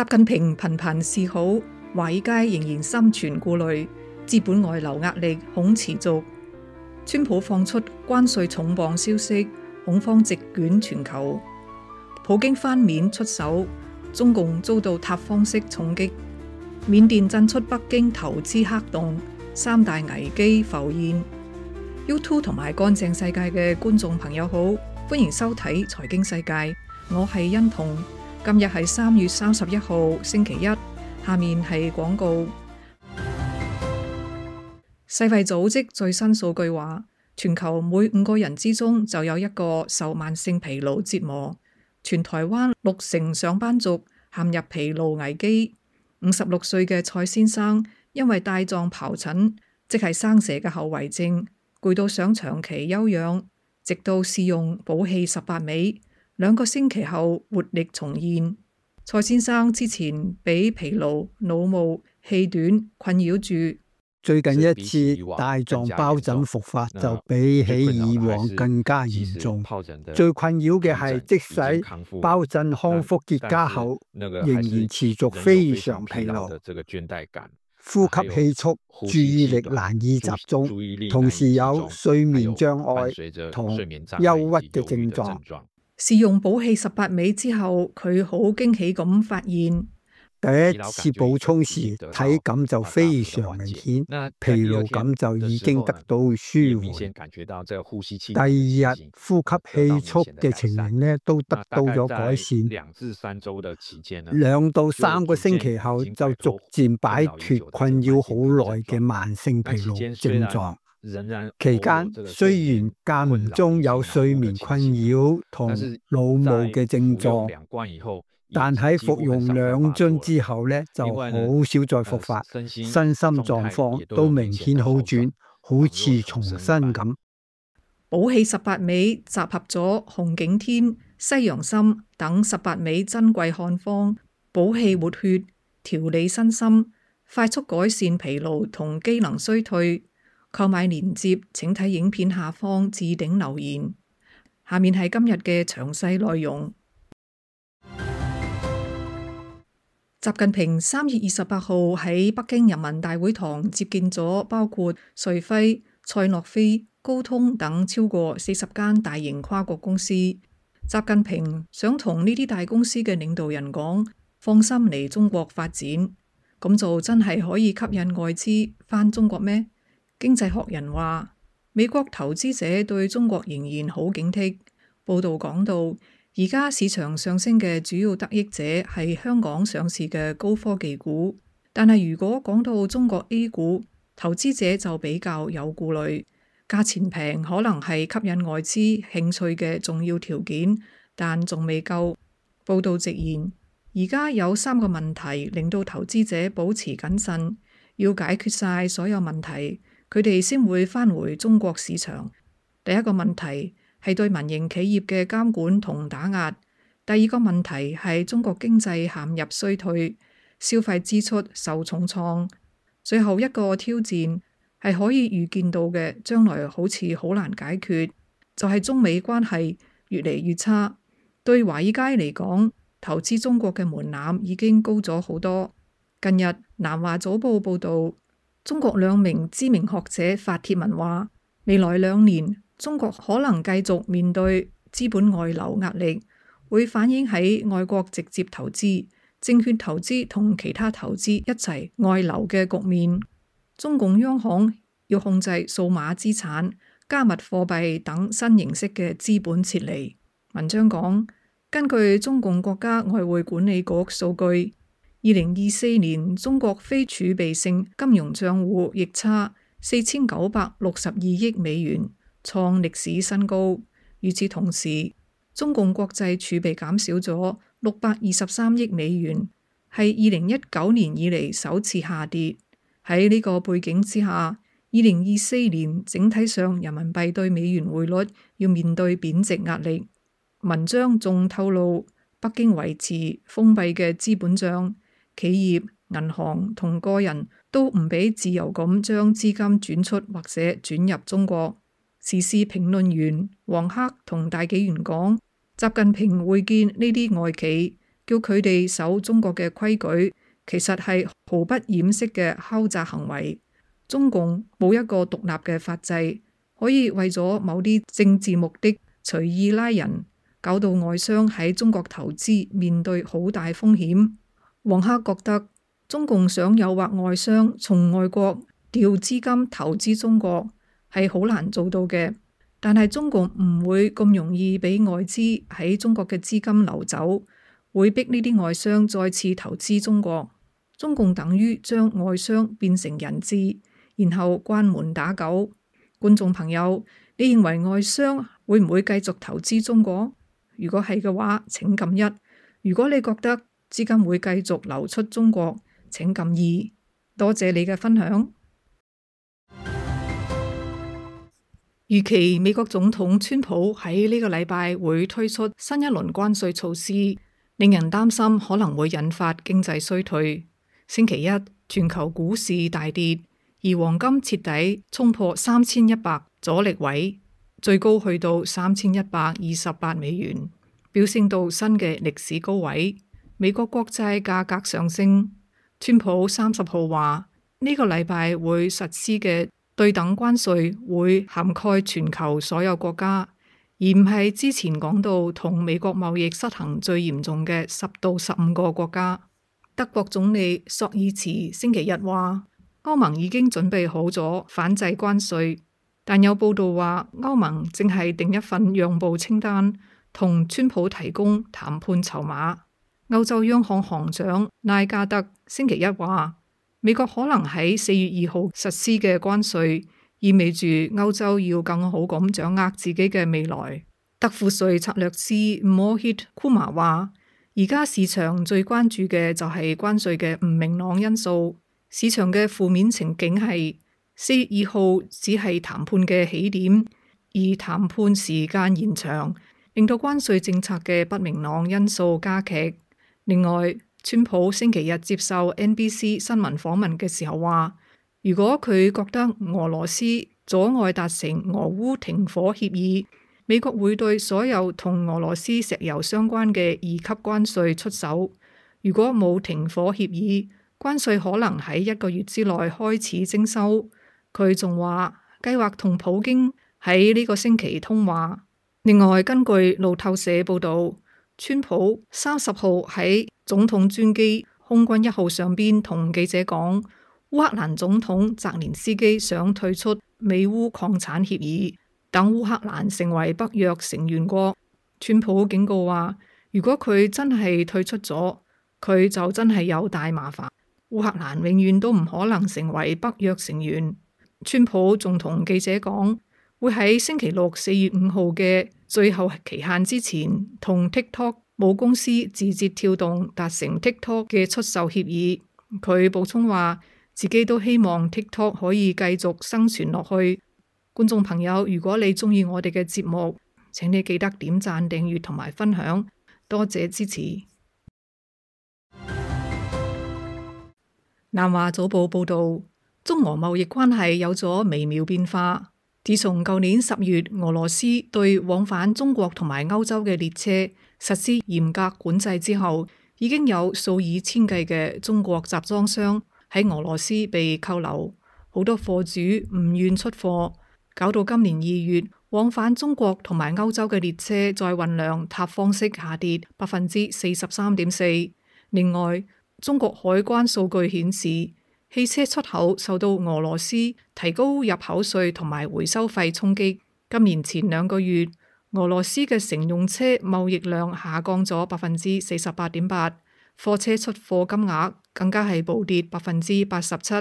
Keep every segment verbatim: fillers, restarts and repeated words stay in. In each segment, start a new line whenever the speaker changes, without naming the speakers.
習近平頻頻示好，華爾街仍然心存顧慮，資本外流壓力恐持續。川普放出關稅重磅消息，恐慌席捲全球。普京翻面出手，中共遭到塔方式重擊。緬甸震出北京投資黑洞，三大危機浮現。YouTube 同埋乾淨世界嘅觀眾朋友好，歡迎收睇財經世界，我係欣彤。今日係三月三十一號星期一，下面係廣告。世衛組織最新數據話，全球每五個人之中就有一個受慢性疲勞折磨。全台灣六成上班族陷入疲勞危機。五十六歲嘅蔡先生因為帶狀疱疹，即係生蛇嘅後遺症，攰到想長期休養，直到試用補氣十八味。兩個星期後活力重現。蔡先生之前俾疲勞、腦霧、氣短困擾住，
最近一次帶狀疱疹復發就比起以往更加嚴重。最困擾嘅係，即使疱疹康復結痂後，仍然持續非常疲勞、呼吸氣促、注意力難以集中，同時有睡眠障礙同憂鬱嘅症狀。
試用補氣十八味之後，佢好驚喜咁發現，
第一次補充時體感就非常明顯，疲勞感就已經得到舒緩。第二日呼吸氣促嘅情形呢都得到咗改善，兩到三個星期後就逐漸擺脫困擾好耐嘅慢性疲勞症狀。期間雖然間唔中有睡眠困擾同腦霧嘅症狀，但喺服用兩樽之後呢，就好少再復發，身心狀況都明顯好轉，好似重新咁。
補氣十八味集合咗紅景天、西洋參等十八味珍貴漢方，補氣活血、調理身心，快速改善疲勞同機能衰退。購買鏈接請睇影片下方置頂留言。下面係今日嘅詳細內容。習近平三月二十八號喺北京人民大會堂接見咗包括瑞輝、賽諾菲、高通等超過四十間大型跨國公司。習近平想同呢啲大公司嘅領導人講，放心嚟中國發展，咁就真係可以吸引外資返中國咩？經濟學人話，美國投資者對中國仍然好警惕。報道講到，而家市場上升嘅主要得益者係香港上市嘅高科技股，但係如果講到中國 A 股，投資者就比較有顧慮。價錢平可能係吸引外資興趣嘅重要條件，但仲未夠。報道直言，而家有三個問題令到投資者保持謹慎，要解決晒所有問題，佢哋先會返回中國市場。第一個問題係對民營企業嘅監管同打壓，第二個問題係中國經濟陷入衰退，消費支出受重創，最後一個挑戰係可以預見到嘅，將來好似好難解決，就係中美關係越嚟越差。對華爾街嚟講，投資中國嘅門檻已經高咗好多。近日南華早報報道，中國兩名知名學者發帖文話，未來兩年中國可能繼續面對資本外流壓力，會反映喺外國直接投資、證券投資同其他投資一齊外流嘅局面。中共央行要控制數碼資產、加密貨幣等新形式嘅資本撤離。文章講，根據中共國家外匯管理局數據，二零二四年中國非儲備性金融賬戶逆差四千九百六十二億美元，創歷史新高。與此同時，中共國際儲備減少咗六百二十三億美元，係二零一九年以嚟首次下跌。喺呢個背景之下，二零二四年整體上人民幣對美元匯率要面對貶值壓力。文章仲透露，北京維持封閉嘅資本帳。企業、銀行同個人都唔俾自由咁將資金轉出或者轉入中國。時事評論員黃克同大紀元講，習近平會見呢啲外企，叫佢哋守中國嘅規矩，其實係毫不掩飾嘅敲詐行為。中共冇一個獨立嘅法制，可以為咗某啲政治目的隨意拉人，搞到外商喺中國投資面對好大風險。黃克覺得中共想誘惑外商從外國調資金投資中國係好難做到嘅，但係中共唔會咁容易俾外資喺中國嘅資金流走，會逼呢啲外商再次投資中國。中共等於將外商變成人質，然後關門打狗。觀眾朋友，你認為外商會唔會繼續投資中國？如果係嘅話，請撳一；如果你覺得資金會繼續流出中國，請撳二。多謝你嘅分享。預期美國總統川普喺呢個禮拜會推出新一輪關稅措施，令人擔心可能會引發經濟衰退。星期一，全球股市大跌，而黃金徹底衝破三千一百阻力位，最高去到三千一百二十八美元，飆升到新嘅歷史高位。美國國債價格上升。川普三十號話呢個禮拜會實施嘅對等關稅會涵蓋全球所有國家，而唔係之前講到同美國貿易失衡最嚴重嘅十到十五個國家。德國總理朔爾茨星期日話，歐盟已經準備好咗反制關稅，但有報道話歐盟正係定一份讓步清單，同川普提供談判籌碼。歐洲央行行長拉加德星期一話，美國可能喺四月二號實施嘅關稅，意味住歐洲要更好咁掌握自己嘅未來。德富瑞策略師 Mohit Kumar 話，而家市場最關注嘅就係關稅嘅唔明朗因素。市場嘅負面情景係四月二號只係談判嘅起點，而談判時間延長，令到關稅政策嘅不明朗因素加劇。另外，川普星期日接受 N B C 新聞訪問嘅時候話，如果佢覺得俄羅斯阻礙達成俄烏停火協議，美國會對所有同俄羅斯石油相關嘅二級關稅出手。如果冇停火協議，關稅可能喺一個月之內開始徵收。佢仲話計劃同普京喺呢個星期通話。另外，根據路透社報道，川普三十號喺總統專機空軍一號上邊同記者講，烏克蘭總統澤連斯基想退出美烏礦產協議，等烏克蘭成為北約成員國。川普警告話，如果佢真係退出咗，佢就真係有大麻煩。烏克蘭永遠都唔可能成為北約成員。川普仲同記者講，會喺星期六四月五號嘅最後期限之前，同 TikTok 母公司字節跳動達成 TikTok 嘅出售協議。佢補充話，自己都希望 TikTok 可以繼續生存落去。觀眾朋友，如果你中意我哋嘅節目，請你記得點讚、訂閱同埋分享，多謝支持。南華早報報道，中俄貿易關係有咗微妙變化。自從舊年十月俄羅斯對往返中國同埋歐洲嘅列車實施嚴格管制之後，已經有數以千計嘅中國集裝箱喺俄羅斯被扣留，好多貨主唔願出貨，搞到今年二月往返中國同埋歐洲嘅列車載運量塌方式下跌百分之四十三點四。另外，中國海關數據顯示，汽車出口受到俄羅斯提高入口稅同埋回收費衝擊。今年前兩個月，俄羅斯嘅乘用車貿易量下降咗百分之四十八點八，貨車出貨金額更加係暴跌百分之八十七，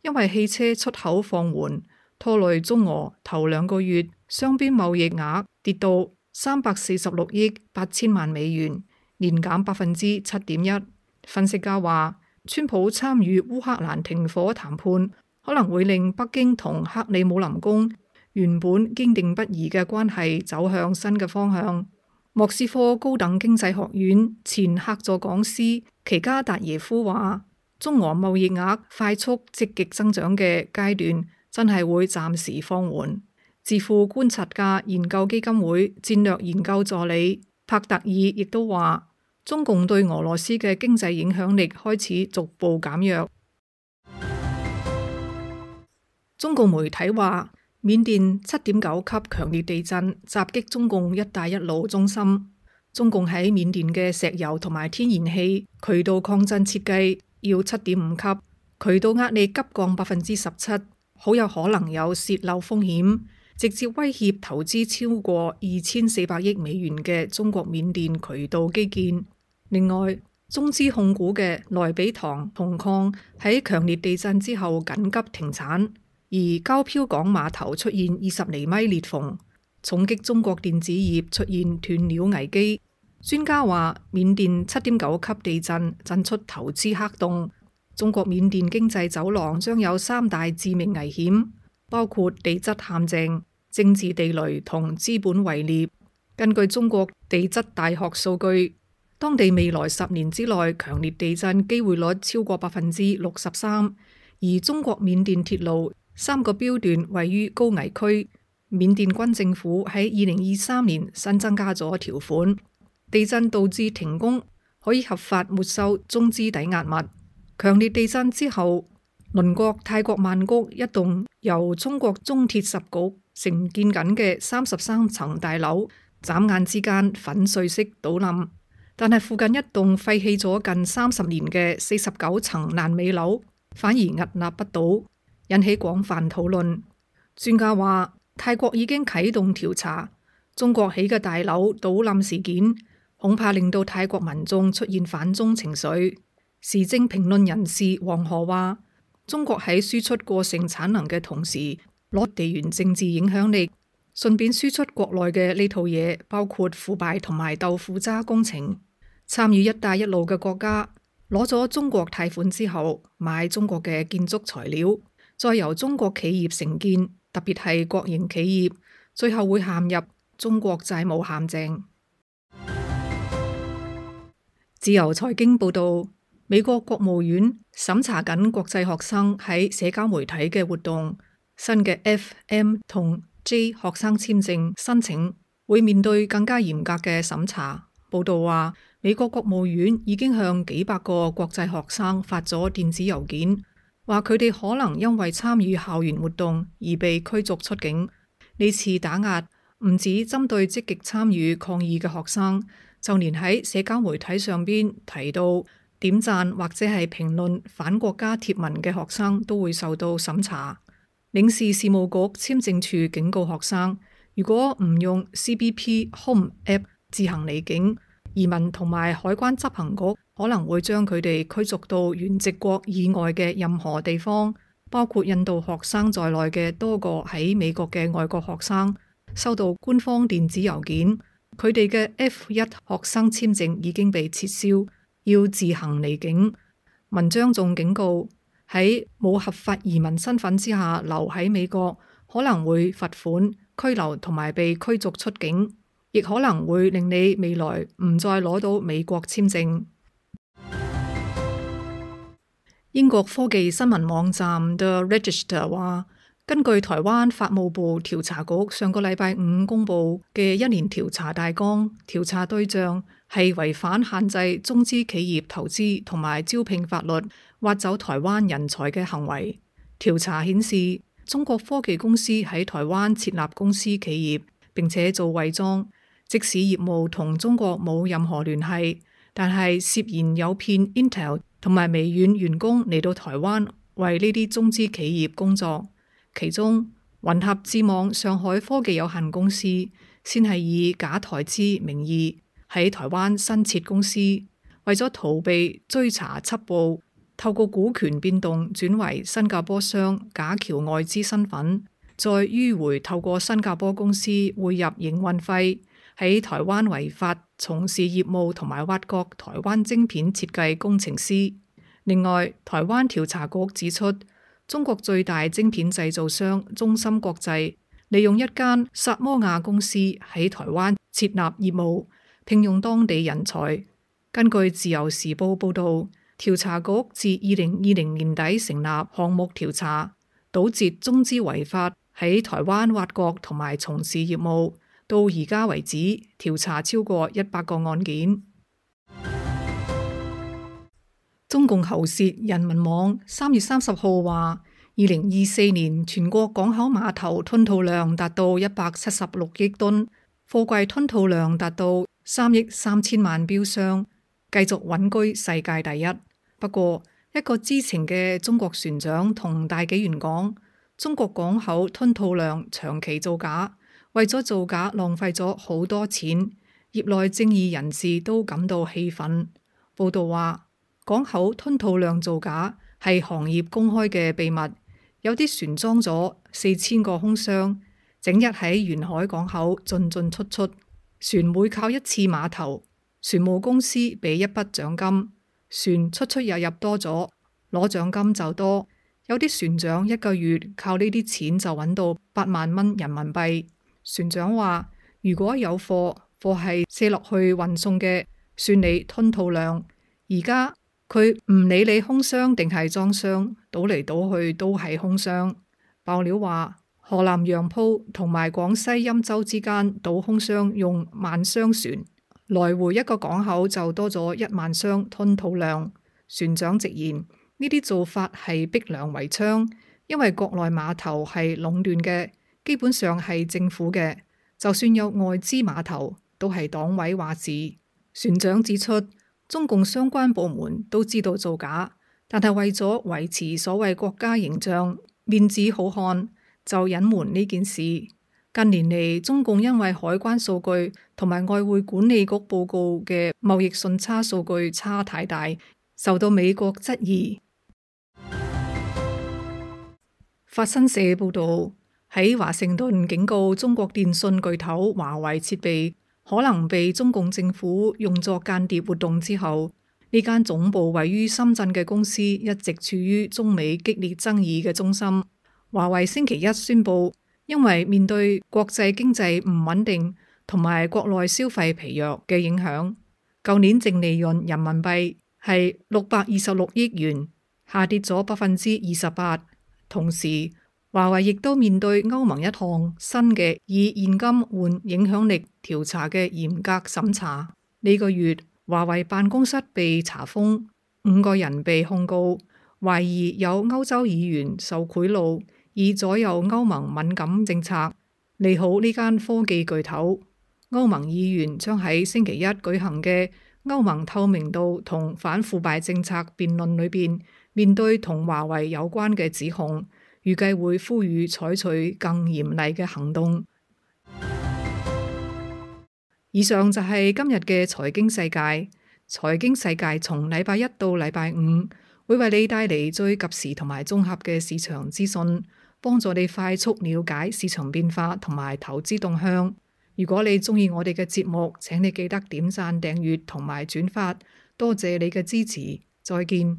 因為汽車出口放緩，拖累中俄頭兩個月雙邊貿易額跌到三百四十六億八千萬美元，年減百分之七點一。分析家話，川普參與烏克蘭停火談判，可能會令北京同克里姆林宮原本堅定不移嘅關係走向新嘅方向。莫斯科高等經濟學院前客座講師奇加達耶夫話，中俄貿易額快速積極增長嘅階段真係會暫時放緩。智庫觀察家研究基金會戰略研究助理帕特爾亦都話，中共對俄羅斯嘅經濟影響力開始逐步減弱。中共媒體話，緬甸七點九級強烈地震襲擊中共一帶一路中心。中共喺緬甸嘅石油同埋天然氣渠道抗震設計要七點五級，渠道壓力急降百分之十七，好有可能有洩漏風險，直接威脅投資超過二千四百億美元嘅中國緬甸渠道基建。另外，中資控股嘅萊比塘銅礦喺強烈地震之後緊急停產，而膠漂港碼頭出現二十厘米裂縫，重擊中國電子業出現斷料危機。專家話，緬甸七點九級地震震出投資黑洞，中國緬甸經濟走廊將有三大致命危險，包括地質陷阱、政治地雷同資本圍獵。根據中國地質大學數據，當地未來十年之內強烈地震機會率超過百分之六十三，而中國緬甸鐵路三個標段位於高危區。緬甸軍政府喺二零二三年新增加咗條款，地震導致停工可以合法沒收中資抵押物。強烈地震之後，鄰國泰國曼谷一棟由中國中鐵十局承建緊嘅三十三層大樓，眨眼之間粉碎式倒冧。但係附近一棟廢棄咗近三十年嘅四十九層爛尾樓，反而屹立不倒，引起廣泛討論。專家話，泰國已經啟動調查中國起嘅大樓倒冧事件，恐怕令到泰國民眾出現反中情緒。時政評論人士黃河話，中國喺輸出過剩產能嘅同時，攞地緣政治影響力，順便輸出國內嘅呢套嘢，包括腐敗同埋豆腐渣工程。參與一帶一路嘅國家攞咗中國貸款之後，買中國嘅建築材料，再由中國企業承建，特別係國營企業，最後會陷入中國債務陷阱。自由財經報道，美國國務院審查緊國際學生喺社交媒體嘅活動，新嘅 F、M 同 J 學生簽證申請會面對更加嚴格嘅審查。報道話，美國國務院已經向幾百個國際學生發咗電子郵件，話佢哋可能因為參與校園活動而被驅逐出境。呢次打壓唔止針對積極參與抗議嘅學生，就連喺社交媒體上邊提到點讚或者係評論反國家貼文嘅學生都會受到審查。領事事務局簽證處警告學生，如果唔用 C B P Home App 自行離境，移民同埋海關執行局可能會將佢哋驅逐到原籍國以外嘅任何地方，包括印度學生在內嘅多個喺美國嘅外國學生收到官方電子郵件，佢哋嘅 F 一 學生簽證已經被撤銷，要自行離境。文章仲警告，喺冇合法移民身份之下留喺美國，可能會罰款、拘留同埋被驅逐出境，亦可能會令你未來唔再攞到美國簽證。英國科技新聞網站 The Register 話，根據台灣法務部調查局上個禮拜五公布嘅一年調查大綱，調查對象係違反限制中資企業投資同埋招聘法律，挖走台灣人才嘅行為。調查顯示，中國科技公司喺台灣設立公司企業，並且做偽裝，即使業務同中國冇任何聯繫，但係涉嫌誘騙 Intel 同埋微軟員工嚟到台灣為呢啲中資企業工作。其中，雲合智網上海科技有限公司先係以假台資名義喺台灣新設公司，為咗逃避追查緝捕，透過股權變動轉為新加坡商，假僑外資身份，再迂回透過新加坡公司匯入營運費，喺台灣違法從事業務同埋挖角台灣晶片設計工程師。另外，台灣調查局指出，中國最大晶片製造商中芯國際利用一間薩摩亞公司喺台灣設立業務，聘用當地人才。根據自由時報報道，調查局自二零二零年底成立項目調查，堵截中資違法喺台灣挖角同埋從事業務，到而家為止調查超過一百個案件。中共喉舌人民網三月三十號話，二零二四年全國港口碼頭吞吐量達到一百七十六億噸，貨櫃吞吐量達到三億三千萬標箱，繼續穩居世界第一。不過，一個知情嘅中國船長同大紀元講，中國港口吞吐量長期造假，為咗造假浪費咗好多錢，業內正義人士都感到氣憤。報道話，港口吞吐量造假係行業公開嘅秘密，有啲船裝咗四千個空箱，整日喺沿海港口進進出出，船每靠一次碼頭，船務公司俾一筆獎金，船出出入入多咗，攞獎金就多。有啲船長一個月靠呢啲錢就揾到八萬蚊人民幣。船長話，如果有貨，貨係卸落去運送嘅，算你吞吐量。而家佢唔理你空箱定係裝箱，倒嚟倒去都係空箱。爆料話，河南楊浦同埋廣西欽州之間倒空箱用萬箱船，來回一個港口就多咗一萬箱吞吐量。船長直言，呢啲做法係逼良為娼，因為國內碼頭係壟斷嘅，基本上係政府嘅，就算有外資碼頭，都係黨委話事。船長指出，中共相關部門都知道造假，但係為咗維持所謂國家形象、面子好看，就隱瞞呢件事。近年嚟，中共因為海關數據同埋外匯管理局報告嘅貿易順差數據差太大，受到美國質疑。法新社報導，喺華盛頓警告中國電信巨頭華為設備可能被中共政府用作間諜活動之後，呢間總部位於深圳嘅公司一直處於中美激烈爭議嘅中心。華為星期一宣布，因為面對國際經濟唔穩定同埋國內消費疲弱嘅影響，舊年淨利潤人民幣係六百二十六億元，下跌咗百分之二十八。同時，華為亦都面對歐盟一項新嘅以現金換影響力調查嘅嚴格審查。呢個月，華為辦公室被查封，五個人被控告，懷疑有歐洲議員受賄賂，以左右歐盟敏感政策，利好呢間科技巨頭。歐盟議員將喺星期一舉行嘅歐盟透明度同反腐敗政策辯論裏邊，面對同華為有關嘅指控，預計會呼籲採取更嚴厲嘅行動。以上就係今日嘅財經世界。財經世界從禮拜一到禮拜五會為你帶嚟最及時同埋綜合嘅市場資訊，幫助你快速了解市場變化同埋投資動向。如果你鍾意我哋嘅節目，請你記得點讚、訂閱同埋轉發。多謝你嘅支持，再見。